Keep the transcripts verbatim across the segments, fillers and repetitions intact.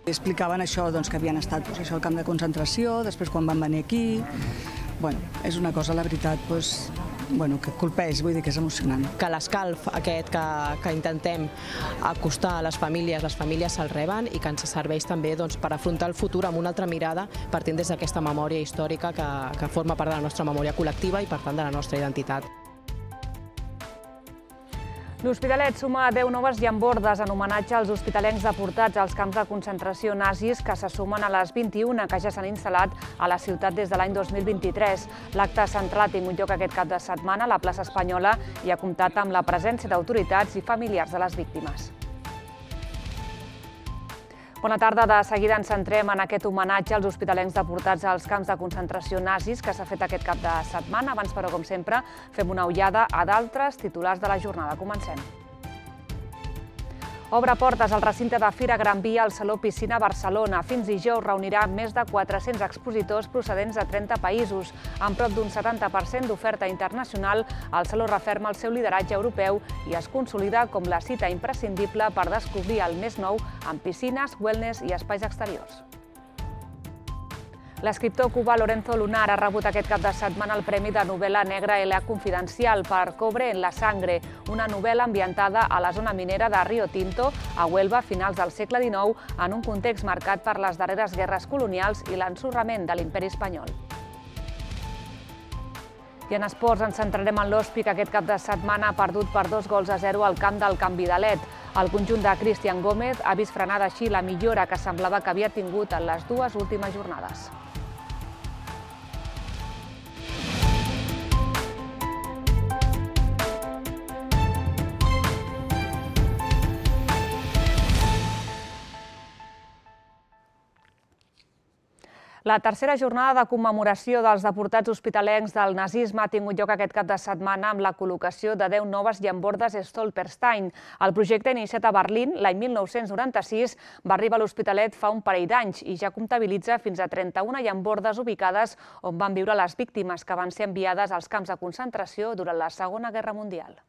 Explicaven això, doncs, que havien estat doncs, això, al camp de concentració, després quan van venir aquí. Bueno, és una cosa, la veritat, doncs, bueno, que colpeix, vull dir que és emocionant. Que l'escalf aquest que, que intentem acostar a les famílies, les famílies se'l reben i que ens serveix també doncs, per afrontar el futur amb una altra mirada partint des d'aquesta memòria històrica que, que forma part de la nostra memòria col·lectiva i per tant de la nostra identitat. L'Hospitalet suma deu noves llambordes en homenatge als hospitalencs deportats als camps de concentració nazis que se sumen a les vint-i-una que ja s'han instal·lat a la ciutat des de l'any dos mil vint-i-tres. L'acte central ha tingut lloc aquest cap de setmana a la plaça Espanyola i ha comptat amb la presència d'autoritats i familiars de les víctimes. Bona tarda. De seguida ens centrem en aquest homenatge als hospitalencs deportats als camps de concentració nazis que s'ha fet aquest cap de setmana. Abans, però, com sempre, fem una ullada a d'altres titulars de la jornada. Comencem. Obre portes al recinte de Fira Gran Via al Saló Piscina Barcelona. Fins dijous reunirà més de quatre-cents expositors procedents de trenta països. Amb prop d'un setanta per cent d'oferta internacional, el Saló referma el seu lideratge europeu i es consolida com la cita imprescindible per descobrir el més nou en piscines, wellness i espais exteriors. L'escriptor cubà Lorenzo Lunar ha rebut aquest cap de setmana el Premi de Novel·la Negra L A Confidencial per Cobre en la Sangre, una novel·la ambientada a la zona minera de Rio Tinto, a Huelva, a finals del segle dinou, en un context marcat per les darreres guerres colonials i l'ensorrament de l'imperi espanyol. I en esports ens centrarem en l'Hospi, que aquest cap de setmana ha perdut per dos gols a zero al camp del Can Vidalet. El conjunt de Cristian Gómez ha vist frenada així la millora que semblava que havia tingut en les dues últimes jornades. La tercera jornada de commemoració dels deportats hospitalencs del nazisme ha tingut lloc aquest cap de setmana amb la col·locació de deu noves llambordes Stolperstein. El projecte, iniciat a Berlín l'any mil nou-cents noranta-sis, va arribar a l'Hospitalet fa un parell d'anys i ja comptabilitza fins a trenta-una llambordes ubicades on van viure les víctimes que van ser enviades als camps de concentració durant la Segona Guerra Mundial.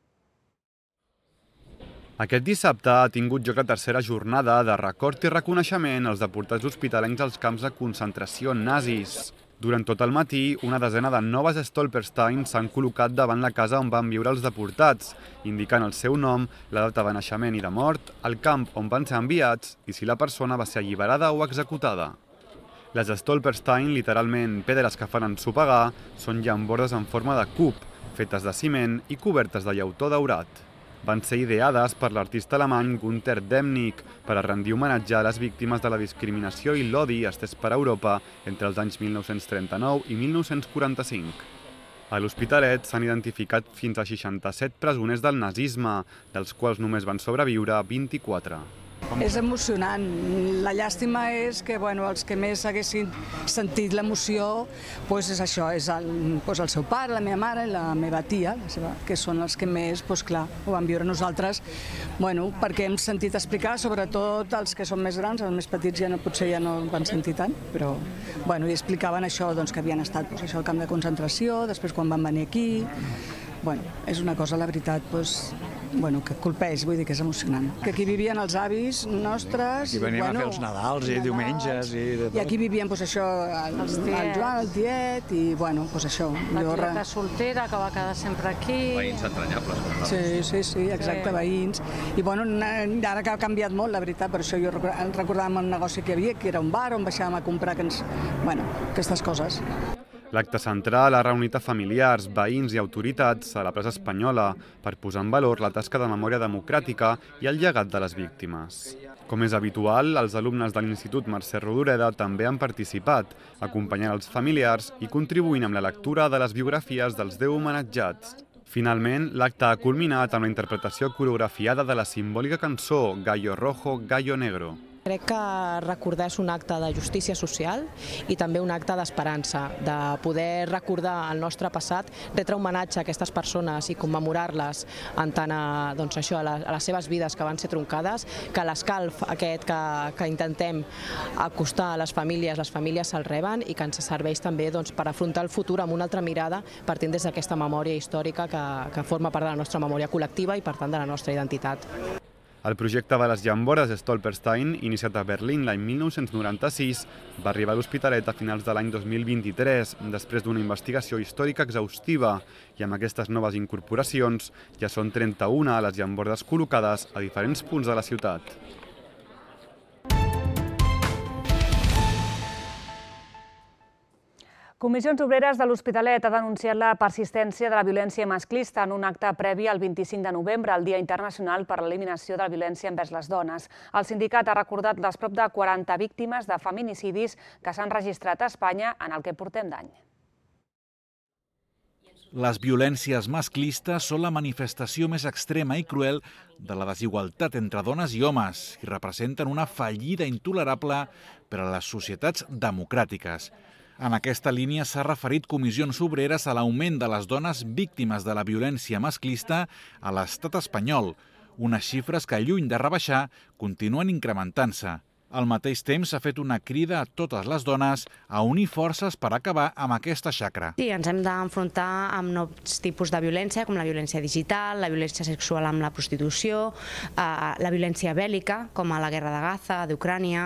Aquest dissabte ha tingut lloc la tercera jornada de record i reconeixement als deportats hospitalencs als camps de concentració nazis. Durant tot el matí, una desena de noves Stolperstein s'han col·locat davant la casa on van viure els deportats, indicant el seu nom, la data de naixement i de mort, el camp on van ser enviats i si la persona va ser alliberada o executada. Les Stolperstein, literalment pedres que fan ensopegar, són llambordes en forma de cub, fetes de ciment i cobertes de llautó daurat. Van ser ideades per l'artista alemany Günter Demnig per a rendir homenatge a les víctimes de la discriminació i l'odi estès per Europa entre els anys mil nou-cents trenta-nou i mil nou-cents quaranta-cinc. A l'Hospitalet s'han identificat fins a seixanta-set presoners del nazisme, dels quals només van sobreviure vint-i-quatre. És emocionant. La llàstima és que bueno, els que més haguessin sentit l'emoció doncs és això, és el, doncs el seu pare, la meva mare i la meva tia, la seva, que són els que més, doncs clar, ho vam viure nosaltres, bueno, perquè hem sentit explicar, sobretot els que són més grans, els més petits ja no, potser ja no van sentir tant, però bueno, i explicaven això, doncs, que havien estat doncs, això, al camp de concentració, després quan van venir aquí. Bueno, és una cosa, la veritat, doncs, bueno, que colpeix, vull dir que és emocionant. Que aquí vivien els avis nostres... Aquí veníem bueno, a fer els Nadals i diumenges i de tot. I aquí vivien, doncs, això, el, el Joan, el tiet, i, bueno, doncs això... La tieta soltera, que va quedar sempre aquí... Veïns entranyables. Sí, sí, sí, exacte, veïns. I, bueno, ara que ha canviat molt, la veritat, per això jo recordàvem el negoci que hi havia, que era un bar on baixàvem a comprar, que ens... bueno, aquestes coses. L'acte central ha reunit a familiars, veïns i autoritats a la plaça Espanyola per posar en valor la tasca de memòria democràtica i el llegat de les víctimes. Com és habitual, els alumnes de l'Institut Mercè Rodoreda també han participat, acompanyant els familiars i contribuint amb la lectura de les biografies dels deu homenatjats. Finalment, l'acte ha culminat amb la interpretació coreografiada de la simbòlica cançó Gallo Rojo, Gallo Negro. Crec que recordar és un acte de justícia social i també un acte d'esperança, de poder recordar el nostre passat, retre homenatge a aquestes persones i commemorar-les en tant a, doncs això, a, les, a les seves vides que van ser troncades, que l'escalf aquest que, que intentem acostar a les famílies, les famílies se'l reben i que ens serveix també doncs, per afrontar el futur amb una altra mirada partint des d'aquesta memòria històrica que, que forma part de la nostra memòria col·lectiva i per tant de la nostra identitat. El projecte de les llambordes Stolperstein, iniciat a Berlín l'any mil nou-cents noranta-sis, va arribar a l'Hospitalet a finals de l'any dos mil vint-i-tres, després d'una investigació històrica exhaustiva, i amb aquestes noves incorporacions ja són trenta-una les llambordes col·locades a diferents punts de la ciutat. Comissions Obreres de l'Hospitalet ha denunciat la persistència de la violència masclista en un acte previ al vint-i-cinc de novembre, el Dia Internacional per a l'Eliminació de la Violència envers les Dones. El sindicat ha recordat les prop de quaranta víctimes de feminicidis que s'han registrat a Espanya en el que portem d'any. Les violències masclistes són la manifestació més extrema i cruel de la desigualtat entre dones i homes i representen una fallida intolerable per a les societats democràtiques. En aquesta línia s'ha referit Comissions Obreres a l'augment de les dones víctimes de la violència masclista a l'estat espanyol, unes xifres que, lluny de rebaixar, continuen incrementant-se. Al mateix temps, s'ha fet una crida a totes les dones a unir forces per acabar amb aquesta xacra. Sí, ens hem d'enfrontar amb nous tipus de violència, com la violència digital, la violència sexual amb la prostitució, la violència bèl·lica, com a la guerra de Gaza, d'Ucrània.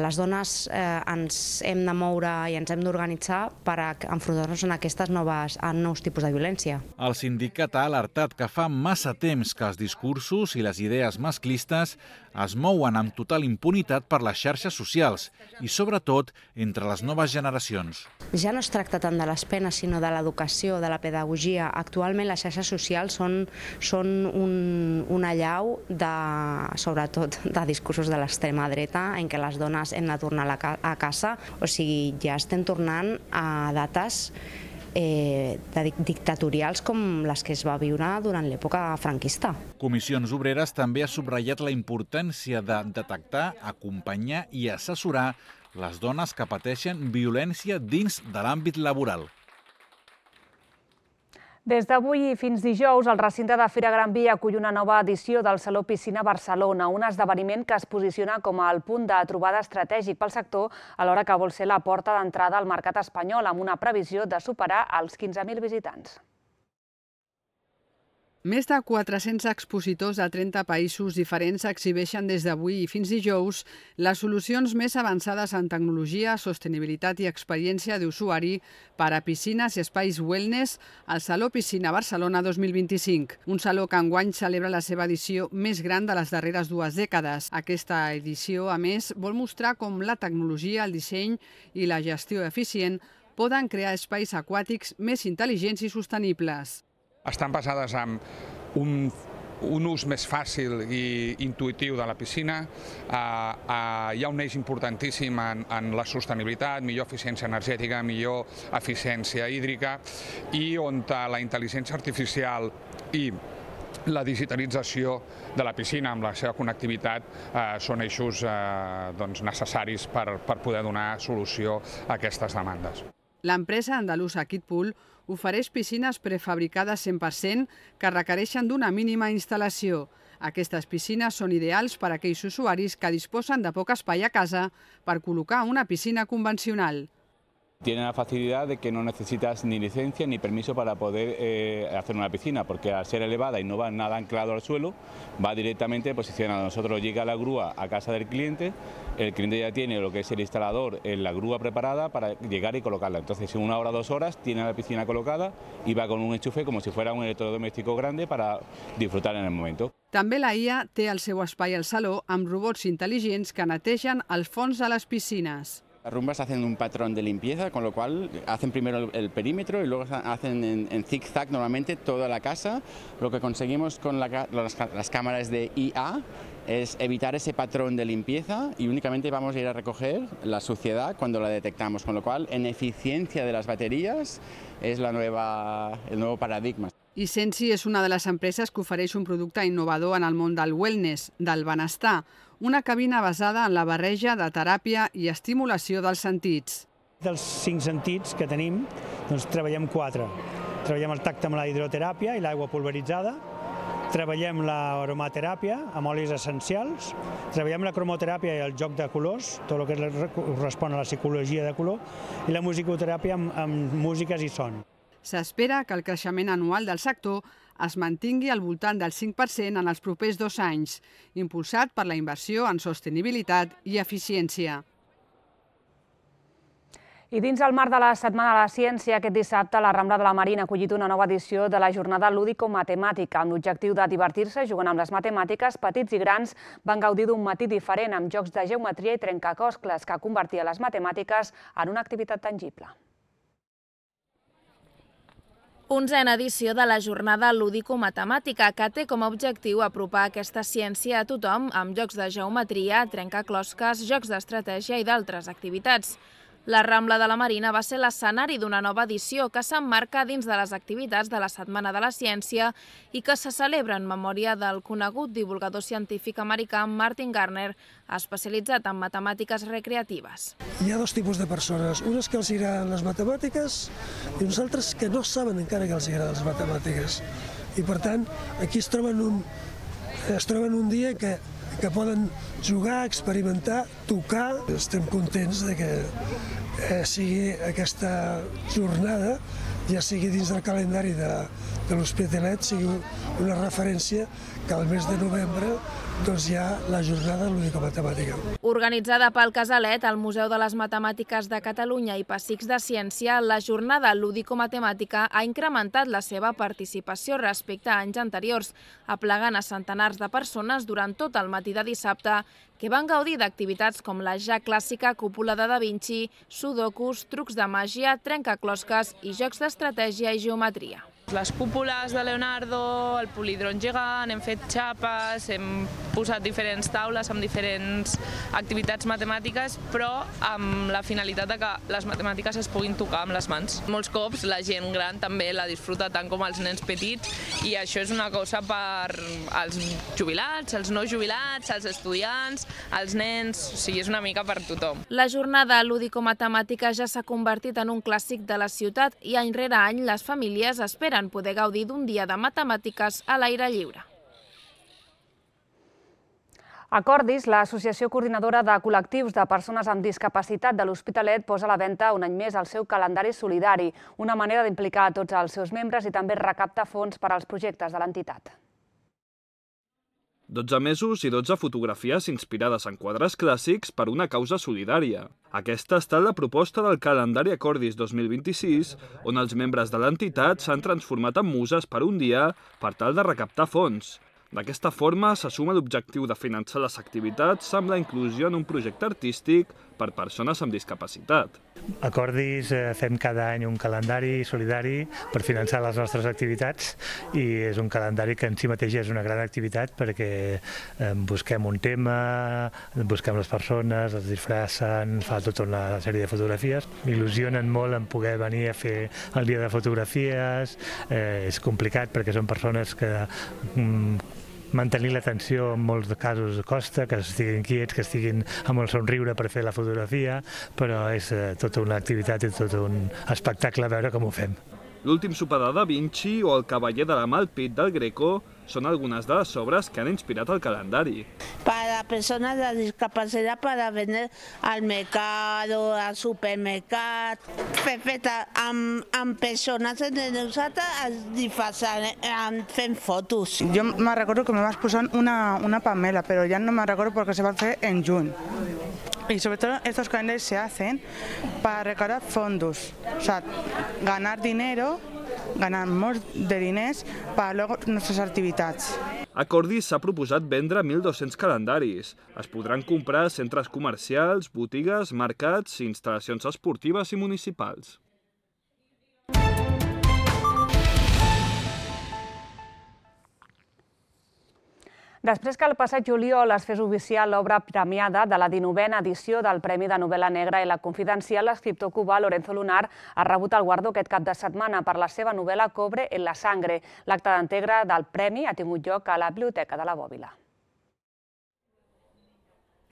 Les dones ens hem de moure i ens hem d'organitzar per enfrontar-nos a aquestes noves, a nous tipus de violència. El sindicat ha alertat que fa massa temps que els discursos i les idees masclistes es mouen amb total impunitat per les xarxes socials i, sobretot, entre les noves generacions. Ja no es tracta tant de les penes, sinó de l'educació, de la pedagogia. Actualment les xarxes socials són, són un, una allau, de, sobretot, de discursos de l'extrema dreta, en què les dones hem de tornar a casa. O sigui, ja estem tornant a dates Eh, dictatorials com les que es va viure durant l'època franquista. Comissions Obreres també ha subratllat la importància de detectar, acompanyar i assessorar les dones que pateixen violència dins de l'àmbit laboral. Des d'avui fins dijous, el recinte de Fira Gran Via acull una nova edició del Saló Piscina Barcelona, un esdeveniment que es posiciona com el punt de trobada estratègic pel sector alhora que vol ser la porta d'entrada al mercat espanyol, amb una previsió de superar els quinze mil visitants. Més de quatre-cents expositors de trenta països diferents exhibeixen des d'avui i fins dijous les solucions més avançades en tecnologia, sostenibilitat i experiència d'usuari per a piscines i espais wellness al Saló Piscina Barcelona dos mil vint-i-cinc, un saló que enguany celebra la seva edició més gran de les darreres dues dècades. Aquesta edició, a més, vol mostrar com la tecnologia, el disseny i la gestió eficient poden crear espais aquàtics més intel·ligents i sostenibles. Estan basades en un, un ús més fàcil i intuïtiu de la piscina. Uh, uh, hi ha un eix importantíssim en, en la sostenibilitat, millor eficiència energètica, millor eficiència hídrica, i on la intel·ligència artificial i la digitalització de la piscina amb la seva connectivitat eh, són eixos eh, doncs necessaris per, per poder donar solució a aquestes demandes. L'empresa andalusa Kidpool ofereix piscines prefabricades cent per cent que requereixen d'una mínima instal·lació. Aquestes piscines són ideals per a aquells usuaris que disposen de poc espai a casa per col·locar una piscina convencional. Tiene la facilidad de que no necesitas ni licencia ni permiso para poder eh, hacer una piscina, porque al ser elevada y no va nada anclado al suelo, va directamente posicionado. Nosotros llega la grúa a casa del cliente, el cliente ya tiene lo que es el instalador en la grúa preparada para llegar y colocarla. Entonces en una hora o dos horas tiene la piscina colocada y va con un enchufe como si fuera un electrodoméstico grande para disfrutar en el momento. També la I A té el seu espai al saló amb robots intel·ligents que netegen el fons de les piscines. Las rumbas hacen un patrón de limpieza, con lo cual hacen primero el, el perímetro y luego hacen en, en zig-zag normalmente toda la casa. Lo que conseguimos con la, las, las cámaras de I A es evitar ese patrón de limpieza y únicamente vamos a ir a recoger la suciedad cuando la detectamos, con lo cual en eficiencia de las baterías es la nueva, el nuevo paradigma. I Sensi és una de les empreses que ofereix un producte innovador en el món del wellness, del benestar, una cabina basada en la barreja de teràpia i estimulació dels sentits. Dels cinc sentits que tenim, doncs treballem quatre. Treballem el tacte amb la hidroteràpia i l'aigua pulveritzada, treballem l'aromateràpia amb olis essencials, treballem la cromoteràpia i el joc de colors, tot el que correspon a la psicologia de color, i la musicoteràpia amb, amb músiques i son. S'espera que el creixement anual del sector es mantingui al voltant del cinc per cent en els propers dos anys, impulsat per la inversió en sostenibilitat i eficiència. I dins el marc de la Setmana de la Ciència, aquest dissabte la Rambla de la Marina ha acollit una nova edició de la jornada lúdico-matemàtica amb l'objectiu de divertir-se jugant amb les matemàtiques. Petits i grans van gaudir d'un matí diferent amb jocs de geometria i trencaclosques que convertia les matemàtiques en una activitat tangible. Onzena edició de la jornada lúdico-matemàtica que té com a objectiu apropar aquesta ciència a tothom amb jocs de geometria, trencaclosques, jocs d'estratègia i d'altres activitats. La Rambla de la Marina va ser l'escenari d'una nova edició que s'emmarca dins de les activitats de la Setmana de la Ciència i que se celebra en memòria del conegut divulgador científic americà Martin Gardner, especialitzat en matemàtiques recreatives. Hi ha dos tipus de persones, unes que els agraden les matemàtiques i uns altres que no saben encara que els agraden les matemàtiques. I per tant, aquí es troben un, es troben un dia que que poden jugar, experimentar, tocar. Estem contents de que eh, sigui aquesta jornada, ja sigui dins del calendari de, de l'Hospitalet, sigui una referència que al mes de novembre doncs, hi ha la jornada lúdico-matemàtica. Organitzada pel Casalet, el Museu de les Matemàtiques de Catalunya i Pessics de Ciència, la jornada lúdico-matemàtica ha incrementat la seva participació respecte a anys anteriors, aplegant a centenars de persones durant tot el matí de dissabte, que van gaudir d'activitats com la ja clàssica cúpula de Da Vinci, sudokus, trucs de màgia, trencaclosques i jocs d'estratègia i geometria. Les cúpules de Leonardo, el polidron gegant, hem fet xapes, hem posat diferents taules amb diferents activitats matemàtiques, però amb la finalitat de que les matemàtiques es puguin tocar amb les mans. Molts cops la gent gran també la disfruta tant com els nens petits i això és una cosa per als jubilats, els no jubilats, els estudiants, els nens, o sigui, és una mica per tothom. La jornada lúdico-matemàtica ja s'ha convertit en un clàssic de la ciutat i any rere any les famílies esperen poder gaudir d'un dia de matemàtiques a l'aire lliure. Acordis, l'associació coordinadora de col·lectius de persones amb discapacitat de l'Hospitalet, posa a la venda un any més el seu calendari solidari, una manera d'implicar a tots els seus membres i també recaptar fons per als projectes de l'entitat. dotze mesos i dotze fotografies inspirades en quadres clàssics per una causa solidària. Aquesta ha estat la proposta del calendari Acordis dos mil vint-i-sis, on els membres de l'entitat s'han transformat en muses per un dia per tal de recaptar fons. D'aquesta forma, s'assuma l'objectiu de finançar les activitats amb la inclusió en un projecte artístic per persones amb discapacitat. Acordis fem cada any un calendari solidari per finançar les nostres activitats i és un calendari que en si mateix és una gran activitat perquè busquem un tema, busquem les persones, els disfressen, fa tota una sèrie de fotografies. M'il·lusionen molt en poder venir a fer el dia de fotografies, és complicat perquè són persones que mantenir l'atenció en molts casos costa, que estiguin quiets, que estiguin amb el somriure per fer la fotografia, però és tota una activitat i tot un espectacle veure com ho fem. L'últim sopar de Da Vinci o el cavaller de la Malpit del Greco són algunes de les obres que han inspirat el calendari. Para personas de discapacidad para vender al mercado, al supermercat, feta amb, amb persones de nosaltres es disfrazan, fent fotos. Yo me recuerdo que me vas posant una, una Pamela, pero ya no me recuerdo porque se va a hacer en junio. Y sobre todo estos calendarios se hacen para recaudar fondos, o sea, ganar dinero, ganar molts de diners per luego nostres activitats. Acordis s'ha proposat vendre mil dos-cents calendaris. Es podran comprar a centres comercials, botigues, mercats i instal·lacions esportives i municipals. Després que el passat juliol es fes oficial l'obra premiada de la dinovena edició del Premi de Novel·la Negra i la Confidencial, l'escriptor cubà Lorenzo Lunar ha rebut el guardó aquest cap de setmana per la seva novel·la Cobre en la sangre. L'acte d'entrega del premi ha tingut lloc a la Biblioteca de la Bòbila.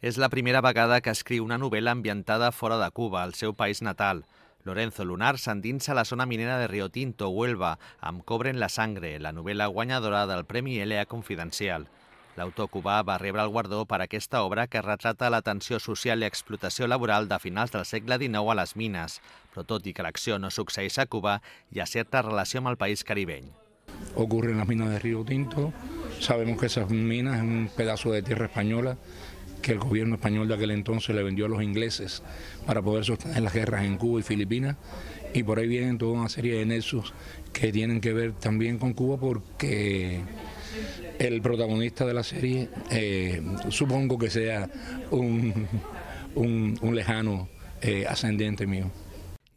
És la primera vegada que escriu una novel·la ambientada fora de Cuba, el seu país natal. Lorenzo Lunar s'endinsa a la zona minera de Rio Tinto, Huelva, amb Cobre en la sangre, la novel·la guanyadora del Premi L A Confidencial. L'autor cubà va rebre el guardó per aquesta obra que retrata la tensió social i explotació laboral de finals del segle dinou a les mines, però tot i que l'acció no succeeix a Cuba, hi ha certa relació amb el país caribeny. ocurre en las minas de Río Tinto. Sabemos que esas minas es un pedazo de tierra española que el gobierno español de aquel entonces le vendió a los ingleses para poder sostener las guerras en Cuba y Filipinas, y por ahí vienen toda una serie de nexos que tienen que ver también con Cuba, porque el protagonista de la serie eh, supongo que sea un, un, un lejano eh, ascendiente mío.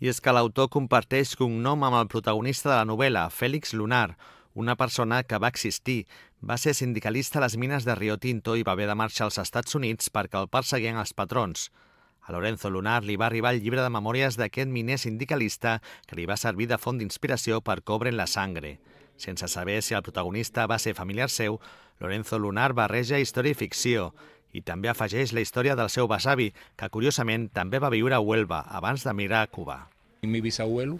I és que l'autor comparteix cognom amb el protagonista de la novel·la, Félix Lunar, una persona que va existir, va ser sindicalista a les mines de Rio Tinto i va haver de marxar als Estats Units perquè el perseguien els patrons. A Lorenzo Lunar li va arribar el llibre de memòries d'aquest miner sindicalista que li va servir de font d'inspiració per Cobren la Sangre. Sense saber si el protagonista va ser familiar seu, Lorenzo Lunar barreja història i ficció i també afegeix la història del seu besavi, que curiosament també va viure a Huelva abans d'emigrar a Cuba. Mi bisabuelo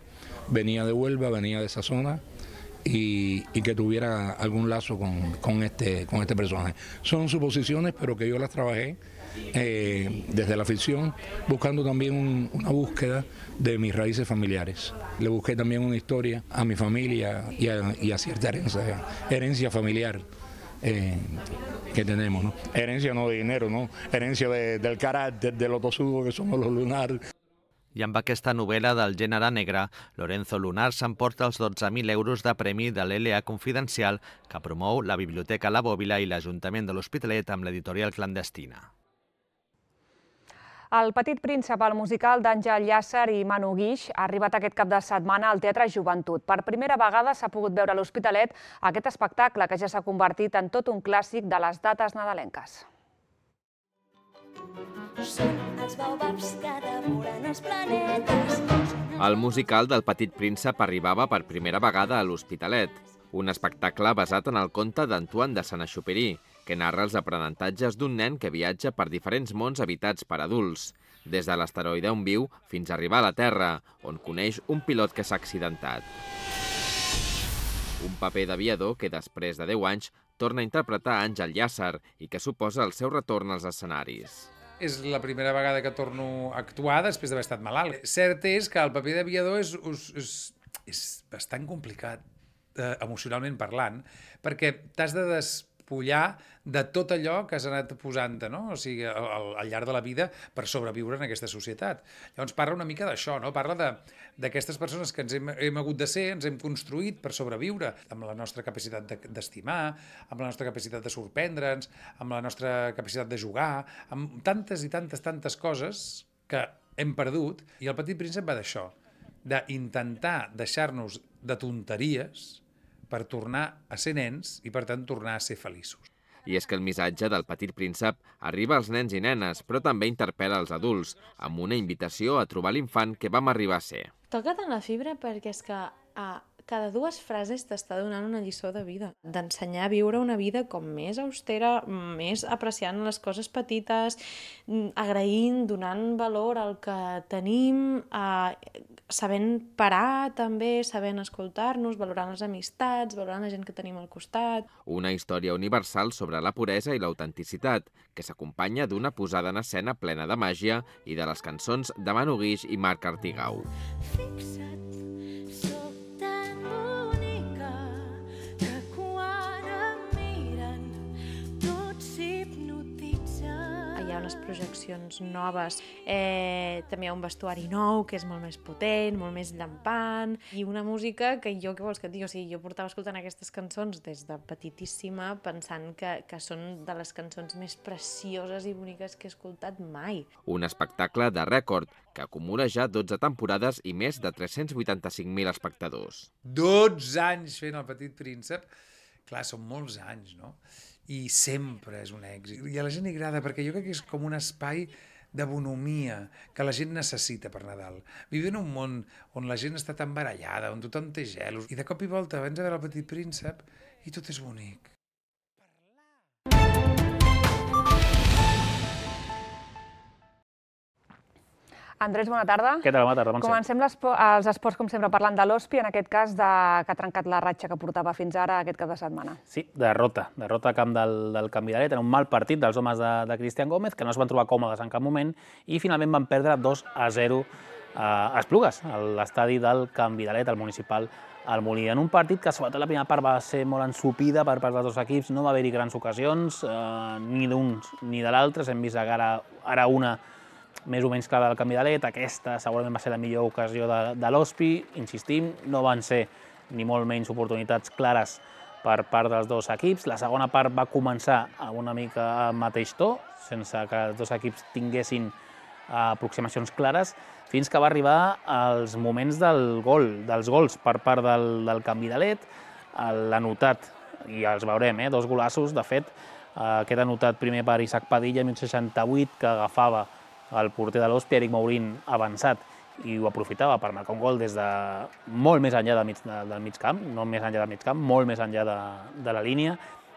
venía de Huelva, venía de esa zona, y, y que tuviera algún lazo con, con, este, con este personaje. Son suposiciones, pero que yo las trabajé eh, desde la ficción, buscando también un, una búsqueda de mis raíces familiares. Le busqué también una historia a mi familia y a, y a cierta herencia, herencia familiar eh, que tenemos, ¿no? Herencia no de dinero, ¿no? Herencia de, del carácter, de lo tosudo que somos los Lunar. I amb aquesta novel·la del gènere negre, Lorenzo Lunar s'emporta els dotze mil euros de premi de l'L A Confidencial que promou la Biblioteca La Bòbila i l'Ajuntament de l'Hospitalet amb l'editorial Clandestina. El Petit Príncep, el musical d'Àngel Llàcer i Manu Guix, ha arribat aquest cap de setmana al Teatre Joventut. Per primera vegada s'ha pogut veure a l'Hospitalet aquest espectacle que ja s'ha convertit en tot un clàssic de les dates nadalenques. Són els baobabs que devoren els planetes. El musical del Petit Príncep arribava per primera vegada a l'Hospitalet, un espectacle basat en el conte d'Antoine de Saint-Exupéry, que narra els aprenentatges d'un nen que viatja per diferents mons habitats per adults, des de l'asteroide on viu fins a arribar a la Terra, on coneix un pilot que s'ha accidentat. Un paper d'aviador que després de deu anys torna a interpretar Àngel Llàcer i que suposa el seu retorn als escenaris. És la primera vegada que torno a actuar després d'haver estat malalt. Cert és que el paper d'aviador és, és, és bastant complicat, eh, emocionalment parlant, perquè t'has de despullar de tot allò que has anat posant-te, no? O sigui, al, al llarg de la vida per sobreviure en aquesta societat. Llavors parla una mica d'això, no? Parla d'aquestes persones que ens hem, hem hagut de ser, ens hem construït per sobreviure, amb la nostra capacitat d'estimar, amb la nostra capacitat de sorprendre'ns, amb la nostra capacitat de jugar, amb tantes i tantes, tantes coses que hem perdut, i el Petit Príncep va d'això, d'intentar deixar-nos de tonteries per tornar a ser nens i, per tant, tornar a ser feliços. I és que el missatge del Petit Príncep arriba als nens i nenes, però també interpel·la als adults, amb una invitació a trobar l'infant que vam arribar a ser. Toca tant la fibra perquè és que a cada dues frases t'està donant una lliçó de vida, d'ensenyar a viure una vida com més austera, més apreciant les coses petites, agraint, donant valor al que tenim, eh, sabent parar també, sabent escoltar-nos, valorant les amistats, valorant la gent que tenim al costat. Una història universal sobre la puresa i l'autenticitat, que s'acompanya d'una posada en escena plena de màgia i de les cançons de Manu Guix i Marc Artigau. Fixa't, sóc tan bonica que quan em miren tots s'hipnotitzen. Hi ha unes projeccions noves, eh, també hi ha un vestuari nou que és molt més potent, molt més llampant, i una música que jo, què vols que et digui? O sigui, jo portava escoltant aquestes cançons des de petitíssima pensant que, que són de les cançons més precioses i boniques que he escoltat mai. Un espectacle de rècord que acumula ja dotze temporades i més de tres-cents vuitanta-cinc mil espectadors. dotze anys fent el Petit Príncep, clar, són molts anys, no? I sempre és un èxit. I a la gent li agrada, perquè jo crec que és com un espai de bonomia que la gent necessita per Nadal. Vivim en un món on la gent està tan barallada, on tothom té gelos, i de cop i volta vens a veure el Petit Príncep i tot és bonic. Andrés, bona tarda. Què tal? Bona tarda, Montse. Comencem els esports, com sempre, parlant de l'O S P I, en aquest cas, que ha trencat la ratxa que portava fins ara aquest cap de setmana. Sí, derrota. Derrota a camp del, del Canvidalet, en un mal partit dels homes de, de Cristian Gómez, que no es van trobar còmodes en cap moment, i finalment van perdre dos a zero a Esplugues, a l'estadi del Canvidalet, al municipal al Molí. En un partit que, sobretot, la primera part va ser molt ensupida per part dels dos equips, no va haver-hi grans ocasions, eh, ni d'uns ni de l'altres. Hem vist ara, ara una més o menys clara del Canvidalet, aquesta segurament va ser la millor ocasió de, de l'O S P I, insistim, no van ser ni molt menys oportunitats clares per part dels dos equips. La segona part va començar amb una mica al mateix to, sense que els dos equips tinguessin aproximacions clares, fins que va arribar als moments del gol, dels gols per part del, del Canvidalet. L'ha notat, i els veurem, eh, dos golassos, de fet, aquest ha notat primer per Isaac Padilla, minut seixanta-vuit, que agafava el porter de l'O S P I, Eric Maurín, avançat, i ho aprofitava per marcar un gol des de molt més enllà del mig, del mig camp, no més enllà del mig camp, molt més enllà de, de la línia,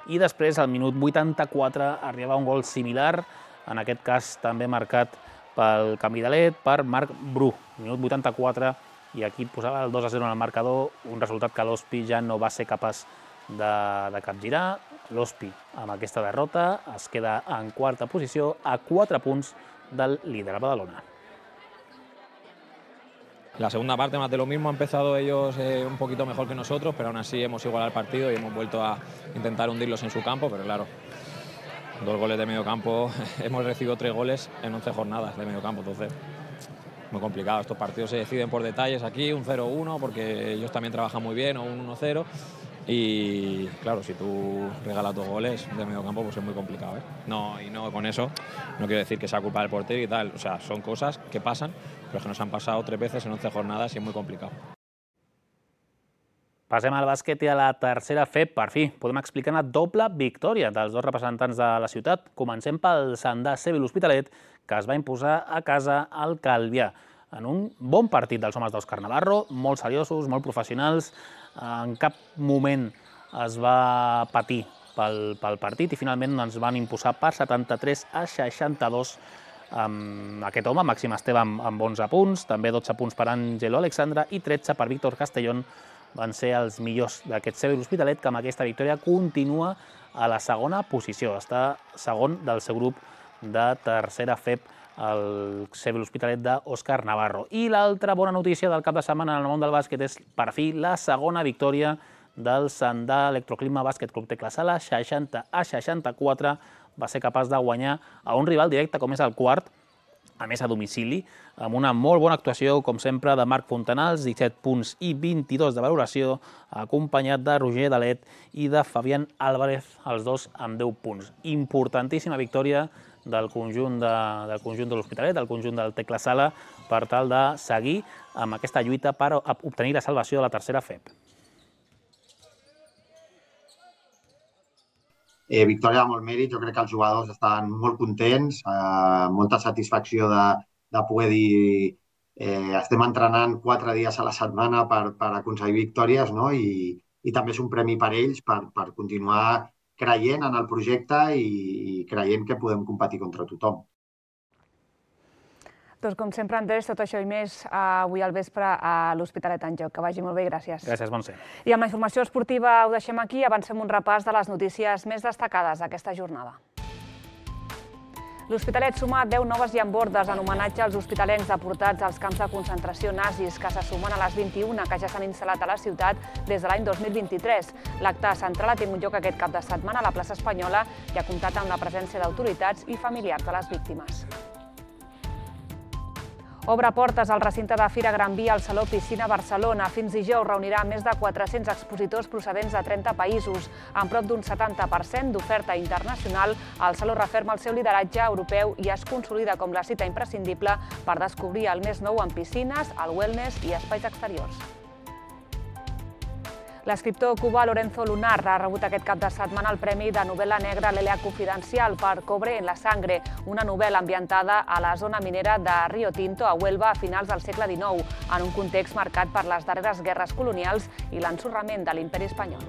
i després, al minut vuitanta-quatre, arribava un gol similar, en aquest cas també marcat pel Canvidalet, per Marc Bru, minut vuitanta-quatre, i aquí posava el dos a zero en el marcador, un resultat que l'O S P I ja no va ser capaç de, de capgirar. L'O S P I, amb aquesta derrota, es queda en quarta posició, a quatre punts del líder, Badalona. La segunda parte más de lo mismo, han empezado ellos eh, un poquito mejor que nosotros, pero aún así hemos igualado el partido y hemos vuelto a intentar hundirlos en su campo, pero claro, dos goles de medio campo, hemos recibido tres goles en once jornadas de medio campo, entonces muy complicado. Estos partidos se deciden por detalles aquí, un cero uno, porque ellos también trabajan muy bien, o un uno cero. Y claro, si tú regalas dos goles de medio campo, pues es muy complicado, ¿eh? No, y no con eso, no quiero decir que sea culpa del portero y tal, o sea, son cosas que pasan, pero es que nos han pasado tres veces en once jornadas y es muy complicado. Passem al bàsquet i a la tercera F E P. Per fi, podem explicar una doble victòria dels dos representants de la ciutat. Comencem pel Sandà C B l'Hospitalet, que es va imposar a casa al Calvià, en un bon partit dels homes d'Òscar Navarro, molt seriosos, molt professionals. En cap moment es va patir pel, pel partit i finalment ens van imposar per setanta-tres a seixanta-dos amb aquest home, Màxim Esteve, amb, amb onze punts, també dotze punts per Àngelo Alexandre i tretze per Víctor Castellón. Van ser els millors d'aquest C B l'Hospitalet, que amb aquesta victòria continua a la segona posició. Està segon del seu grup de tercera F E P, el C B l'Hospitalet d'Òscar Navarro. I l'altra bona notícia del cap de setmana en el món del bàsquet és, per fi, la segona victòria del Sandà Electroclima Bàsquet Club Tecla Sala, seixanta a seixanta-quatre. Va ser capaç de guanyar a un rival directe com és el Quart, a més a domicili, amb una molt bona actuació, com sempre, de Marc Fontanals, disset punts i vint-i-dos de valoració, acompanyat de Roger Dalet i de Fabián Álvarez, els dos amb deu punts. Importantíssima victòria del conjunt de, del conjunt de l'Hospitalet, del conjunt del Tecla Sala, per tal de seguir amb aquesta lluita per obtenir la salvació de la tercera F E P. Eh, victòria de molt mèrit, jo crec que els jugadors estaven molt contents, eh, molta satisfacció de, de poder dir eh, estem entrenant quatre dies a la setmana per, per aconseguir victòries, no? I, i també és un premi per ells per, per continuar creient en el projecte i, i creient que podem competir contra tothom. Doncs com sempre, Andrés, tot això i més avui al vespre a l'Hospitalet en Joc. Que vagi molt bé i gràcies. Gràcies, Montse. I amb la informació esportiva ho deixem aquí. Avancem un repàs de les notícies més destacades d'aquesta jornada. L'Hospitalet suma deu noves llambordes en homenatge als hospitalencs deportats als camps de concentració nazis, que se sumen a les vint-i-una que ja s'han instal·lat a la ciutat des de l'any dos mil vint-i-tres. L'acte central ha tingut lloc aquest cap de setmana a la plaça Espanyola i ha comptat amb la presència d'autoritats i familiars de les víctimes. Obre portes al recinte de Fira Gran Via al Saló Piscina Barcelona. Fins dijous reunirà més de quatre-cents expositors procedents de trenta països. Amb prop d'un setanta per cent d'oferta internacional, el Saló referma el seu lideratge europeu i es consolida com la cita imprescindible per descobrir el més nou en piscines, el wellness i espais exteriors. L'escriptor cubà Lorenzo Lunar ha rebut aquest cap de setmana el Premi de Novel·la Negra Lelea Confidencial per Cobre en la Sangre, una novel·la ambientada a la zona minera de Rio Tinto, a Huelva, a finals del segle dinou, en un context marcat per les darreres guerres colonials i l'ensorrament de l'imperi espanyol.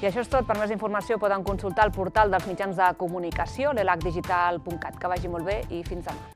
I això és tot. Per més informació poden consultar el portal dels mitjans de comunicació, l'elac digital punt cat. Que vagi molt bé i fins demà.